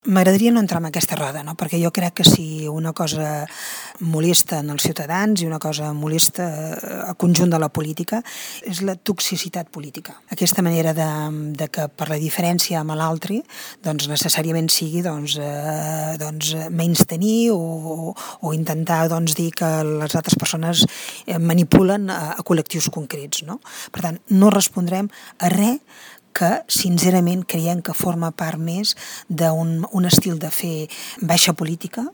M'agradaria no entrar en aquesta roda, no? Perquè jo crec que si una cosa molesta en els ciutadans i una cosa molesta al conjunt de la política és la toxicitat política. Aquesta manera de que per la diferència amb l'altre doncs necessàriament sigui menystenir o intentar dir que les altres persones manipulen a col·lectius concrets, no? Per tant, no respondrem a res que sincerament creiem que forma part més d'un estil de fer baixa política